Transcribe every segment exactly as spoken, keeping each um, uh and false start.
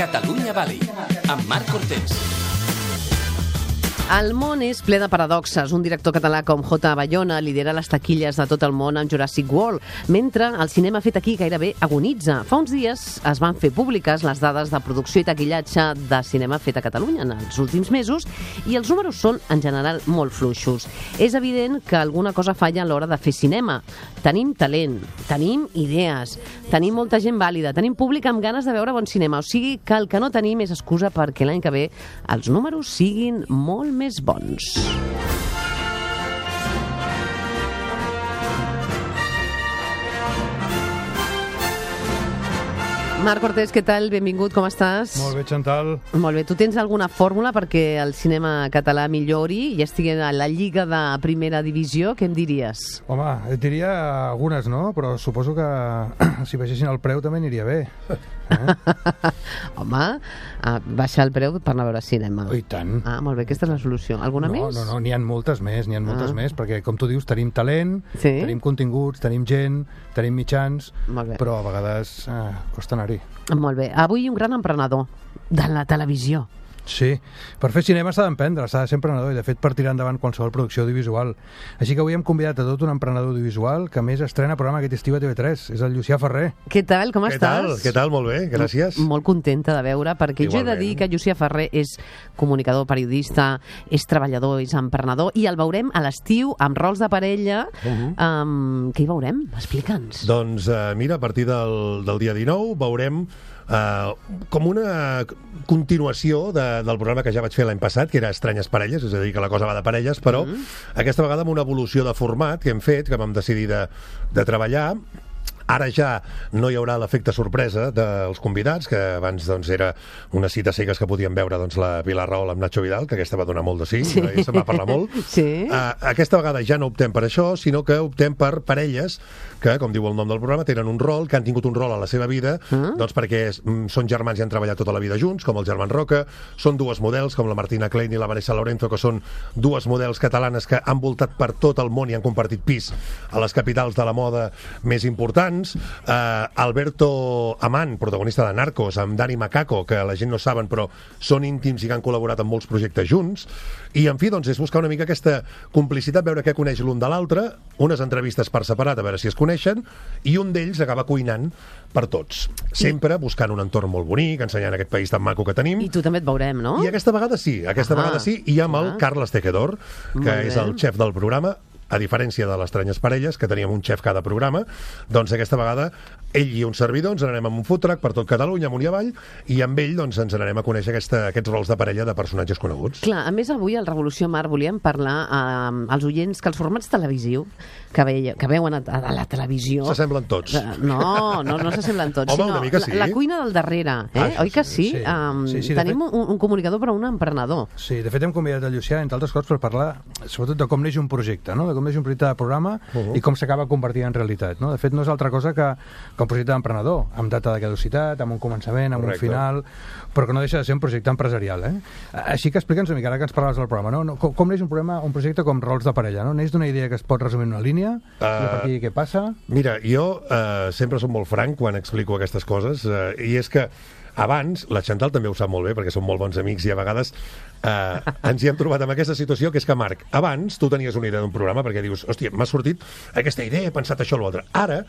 Catalunya Valley, amb Marc Cortés. El món és ple de paradoxes. Un director català com J. Bayona lidera les taquilles de tot el món amb Jurassic World, mentre el cinema fet aquí gairebé agonitza. Fa uns dies es van fer públiques les dades de producció i taquillatge de cinema fet a Catalunya en els últims mesos i els números són, en general, molt fluixos. És evident que alguna cosa falla a l'hora de fer cinema. Tenim talent, tenim idees, tenim molta gent vàlida, tenim públic amb ganes de veure bon cinema. O sigui que el que no tenim és excusa perquè l'any que ve els números siguin molt més bons. Marc Cortés, què tal? Benvingut, com estàs? Molt bé, Chantal. Molt bé. Tu tens alguna fórmula perquè el cinema català millori i estigui a la lliga de primera divisió? Què em diries? Home, et diria algunes, no? Però suposo que si baixessin el preu també aniria bé. Eh? Home, baixar el preu per anar a veure cinema. Oh, i tant. Ah, molt bé, aquesta és la solució. Alguna no, més? No, no, n'hi ha moltes més, n'hi ha moltes ah. més, perquè, com tu dius, tenim talent, sí? tenim continguts, tenim gent, tenim mitjans, però a vegades eh, costa anar-hi. Molt bé. Avui un gran emprenedor de la televisió. Sí, per fer cinema s'ha d'emprendre, s'ha de ser emprenedor i de fet per tirar endavant qualsevol producció audiovisual. Així que avui hem convidat a tot un emprenedor audiovisual que a més estrena programa aquest estiu a T V tres, és el Llucià Ferrer. Què tal, com Què estàs? Tal? Què tal? Molt bé, gràcies. M molt contenta de veure, perquè Igualment. Jo he de dir que Llucià Ferrer és comunicador, periodista, és treballador, és emprenedor, i el veurem a l'estiu amb rols de parella. Uh-huh. um, què hi veurem? Explica'ns. Doncs uh, mira, a partir del, del dia dinou veurem Uh, com una continuació de, del programa que ja vaig fer l'any passat, que era Estranyes Parelles, és a dir, que la cosa va de parelles, però mm. aquesta vegada amb una evolució de format que hem fet, que vam decidir de, de treballar. Ara ja no hi haurà l'efecte sorpresa dels convidats, que abans doncs, era una cita cegues que podíem veure doncs, la Pilar Rahola amb Nacho Vidal, que aquesta va donar molt de sí, sí. I se'n va parlar molt. Sí. Uh, aquesta vegada ja no optem per això, sinó que optem per parelles que, com diu el nom del programa, tenen un rol, que han tingut un rol a la seva vida, mm. doncs perquè són germans i han treballat tota la vida junts, com els germans Roca, són dues models, com la Martina Klein i la Vanessa Lorenzo, que són dues models catalanes que han voltat per tot el món i han compartit pis a les capitals de la moda més importants. Uh, Alberto Amán, protagonista de Narcos, amb Dani Macaco, que la gent no saben però són íntims i que han col·laborat en molts projectes junts, i en fi, doncs és buscar una mica aquesta complicitat, veure què coneix l'un de l'altre, unes entrevistes per separat a veure si es coneixen, i un d'ells acaba cuinant per tots, sempre buscant un entorn molt bonic, ensenyant aquest país tan maco que tenim. I tu també et veurem, no? I aquesta vegada sí, aquesta ah. vegada sí, i amb ah. el Carles Tejedor, que és el xef del programa. A diferència de les Estranyes Parelles, que teníem un xef cada programa, doncs aquesta vegada ell i un servidor ens n'anem amb un food truck per tot Catalunya, amunt i avall, i amb ell doncs, ens n'anem a conèixer aquesta, aquests rols de parella de personatges coneguts. Clar, a més avui al Revolució Mar volíem parlar eh, als oients que els formats televisius que, veia, que veuen a, a la televisió... S'assemblen tots. Eh, no, no, no s'assemblen tots. Home, sinó una mica sí. La, la cuina del darrere, eh? Ah, oi que sí? Sí, um, sí, sí tenim fet... un, un comunicador però un emprenedor. Sí, de fet hem convidat a Llucià, entre altres coses, per parlar sobretot de com neix un projecte, no? De com neix un projecte de programa Uh-huh. i com s'acaba convertint en realitat, no? De fet, no és altra cosa que, que un projecte d'emprenedor, amb data de caducitat, amb un començament, amb Correcte. Un final, però que no deixa de ser un projecte empresarial, eh? Així que explica'ns una mica, ara que ens parlaves del programa, no? Com, com neix un, problema, un projecte com rols de parella, no? Neix d'una idea que es pot resumir en una línia, uh, i a partir de què passa? Mira, jo uh, sempre soc molt franc quan explico aquestes coses, uh, i és que abans, la Chantal també ho sap molt bé, perquè som molt bons amics i a vegades eh, ens hi hem trobat amb aquesta situació, que és que, Marc, abans tu tenies una idea d'un programa perquè dius, hòstia, m'ha sortit aquesta idea, he pensat això o l'altre. Ara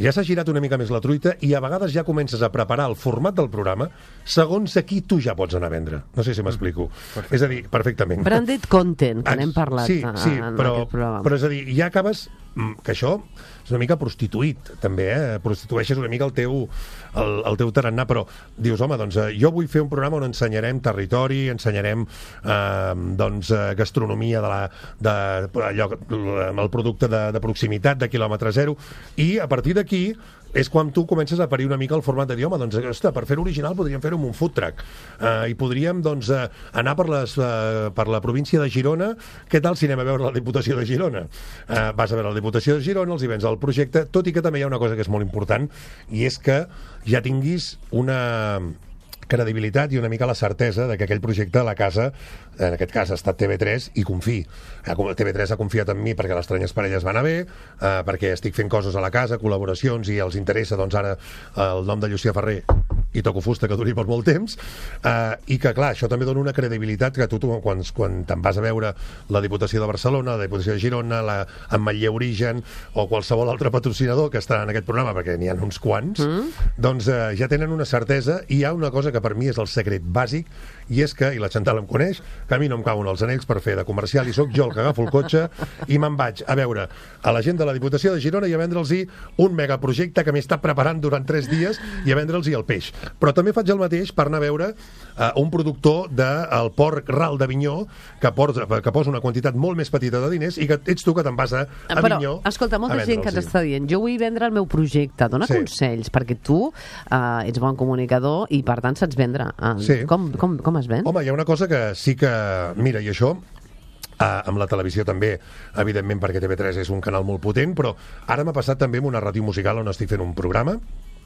ja s'ha girat una mica més la truita i a vegades ja comences a preparar el format del programa segons a qui tu ja pots anar a vendre. No sé si m'explico. Mm, és a dir, perfectament. Branded content, que n'hem parlat sí, sí, en però, aquest programa. Però és a dir, ja acabes que això és una mica prostituït, també, eh? Prostitueixes una mica el teu, el, el teu tarannà, però dius, home, doncs jo vull fer un programa on ensenyarem territori, ensenyarem eh, doncs, gastronomia de la, de, allò, el producte de, de proximitat, de quilòmetre zero, i a partir d'aquí és quan tu comences a parir una mica el format de dir, home, doncs, ostres, per fer-ho original podríem fer-ho amb un food truck. Uh, I podríem, doncs, uh, anar per, les, uh, per la província de Girona. Què tal si anem a veure la Diputació de Girona? Uh, vas a veure la Diputació de Girona, els hi vens el projecte, tot i que també hi ha una cosa que és molt important, i és que ja tinguis una credibilitat i una mica la certesa de que aquell projecte a la casa, en aquest cas ha estat T V tres, i confiï. T V tres ha confiat en mi perquè les Estranyes Parelles van anar bé, eh, perquè estic fent coses a la casa, col·laboracions, i els interessa, doncs ara, el nom de Llucià Ferrer i toco fusta que duri per molt temps, eh, i que, clar, això també dona una credibilitat que tu, tu quan, quan te'n vas a veure la Diputació de Barcelona, la Diputació de Girona, la Ametller Origen o qualsevol altre patrocinador que està en aquest programa, perquè n'hi ha uns quants, mm. doncs eh, ja tenen una certesa, i hi ha una cosa que per mi és el secret bàsic, i és que, i la Chantal em coneix, que a mi no em cauen els anells per fer de comercial, i sóc jo el que agafo el cotxe i me'n vaig a veure a la gent de la Diputació de Girona i a vendre'ls-hi un megaprojecte que m'he estat preparant durant tres dies i a vendre'ls-hi el peix. Però també faig el mateix per anar a veure uh, un productor del Port Ral d'Avinyó que, porta, que posa una quantitat molt més petita de diners i que ets tu que te'n vas a Avinyó. Però, escolta, molta gent que t'està dient jo vull vendre el meu projecte, dona sí. consells, perquè tu uh, ets bon comunicador i per tant saps vendre. Uh, sí. com, com, com es ven? Home, hi ha una cosa que sí que... Mira, i això... Uh, amb la televisió també, evidentment, perquè T V tres és un canal molt potent, però ara m'ha passat també amb una ràdio musical on estic fent un programa,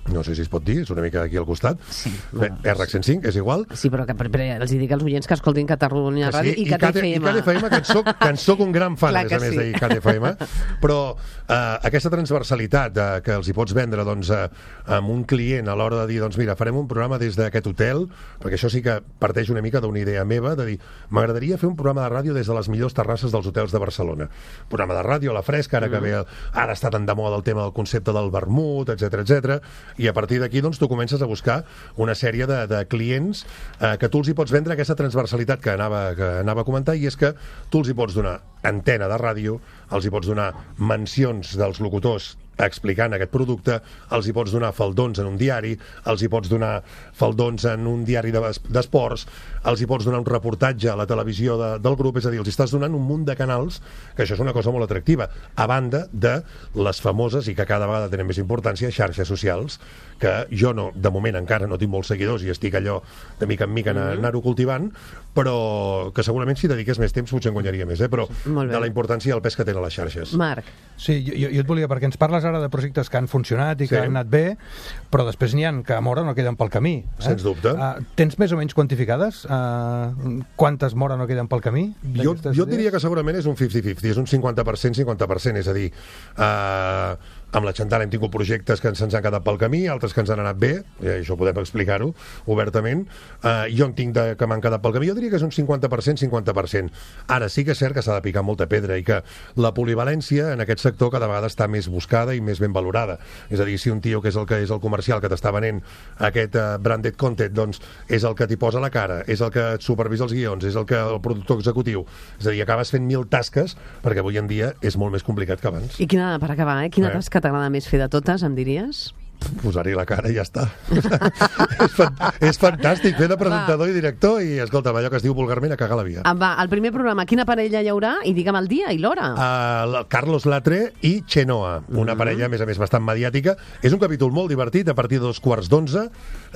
no sé si es pot dir, és una mica aquí al costat, sí, bueno, R cent cinc, és igual. Sí, però que per, per, els dic als oients que escoltin Catalunya que sí, Ràdio i Cat F M. I Cat F M, que en soc, que en soc un gran fan, a més a més, sí. de Cat F M, però uh, aquesta transversalitat uh, que els hi pots vendre doncs, uh, amb un client a l'hora de dir, doncs mira, farem un programa des d'aquest hotel, perquè això sí que parteix una mica d'una idea meva, de dir, m'agradaria fer un programa de ràdio des de les millors terrasses dels hotels de Barcelona. Programa de ràdio a la fresca, ara mm. que ve, ara està tan de moda el tema del concepte del vermut, etcètera, etcètera, i a partir d'aquí doncs, tu comences a buscar una sèrie de, de clients eh, que tu els hi pots vendre aquesta transversalitat que anava, que anava a comentar, i és que tu els hi pots donar antena de ràdio, els hi pots donar mencions dels locutors explicant aquest producte, els hi pots donar faldons en un diari, els hi pots donar faldons en un diari d'esports, els hi pots donar un reportatge a la televisió de, del grup, és a dir, els estàs donant un munt de canals, que això és una cosa molt atractiva, a banda de les famoses, i que cada vegada tenen més importància, xarxes socials, que jo no, de moment encara no tinc molts seguidors i estic allò de mica en mica mm-hmm. anar-ho cultivant, però que segurament si dediqués més temps potser en guanyaria més, eh? Però de la importància i el pes que tenen les xarxes. Marc. Sí, jo, jo et volia, perquè ens parles ara de projectes que han funcionat i que sí. han anat bé, però després n'hi ha que a Móra no queden pel camí. Eh? Sens dubte. Uh, tens més o menys quantificades? Uh, quantes Móra no queden pel camí? Jo, jo diria que segurament és un cinquanta cinquanta, és un cinquanta per cent, cinquanta per cent, és a dir... Uh, amb la Chantal hem tingut projectes que se'ns han quedat pel camí, altres que ens han anat bé, i això podem explicar-ho obertament. Uh, jo en tinc de, que m'han quedat pel camí, jo diria que és un cinquanta per cent, cinquanta per cent. Ara sí que és cert que s'ha de picar molta pedra i que la polivalència en aquest sector cada vegada està més buscada i més ben valorada. És a dir, si un tio que és el que és el comercial que t'està venent aquest uh, branded content, doncs és el que t'hi posa la cara, és el que et supervisa els guions, és el que el productor executiu. És a dir, acabes fent mil tasques perquè avui en dia és molt més complicat que abans. I quina, per acabar, eh? quina eh? tasca t'agrada més fer de totes, em diries? Posar-hi la cara i ja està. és, fan, és fantàstic fer de presentador va. i director i, escolta, allò que es diu vulgarment a cagar la via. Ah, va, el primer programa, quina parella hi haurà? I digue'm el dia i l'hora. Uh, Carlos Latre i Chenoa, una mm. parella, a més a més, bastant mediàtica. És un capítol molt divertit, a partir de dos quarts d'onze,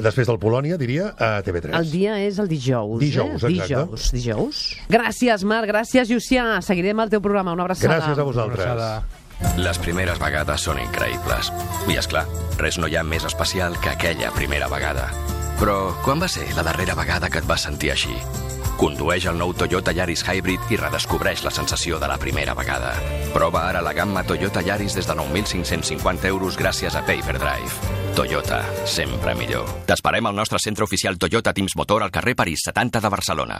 després del Polònia, diria, a T V tres. El dia és el dijous, dijous eh? Exacte. Dijous, dijous. Gràcies, Marc, gràcies, Llucià. Seguirem el teu programa. Una abraçada. Gràcies a vosaltres. Les primeres vegades són increïbles. I, esclar, res no hi ha més especial que aquella primera vegada. Però quan va ser la darrera vegada que et vas sentir així? Condueix el nou Toyota Yaris Hybrid i redescobreix la sensació de la primera vegada. Prova ara la gamma Toyota Yaris des de nou mil cinc-cents cinquanta euros gràcies a Payperdrive. Toyota, sempre millor. T'esperem al nostre centre oficial Toyota Teams Motor al carrer París setanta de Barcelona.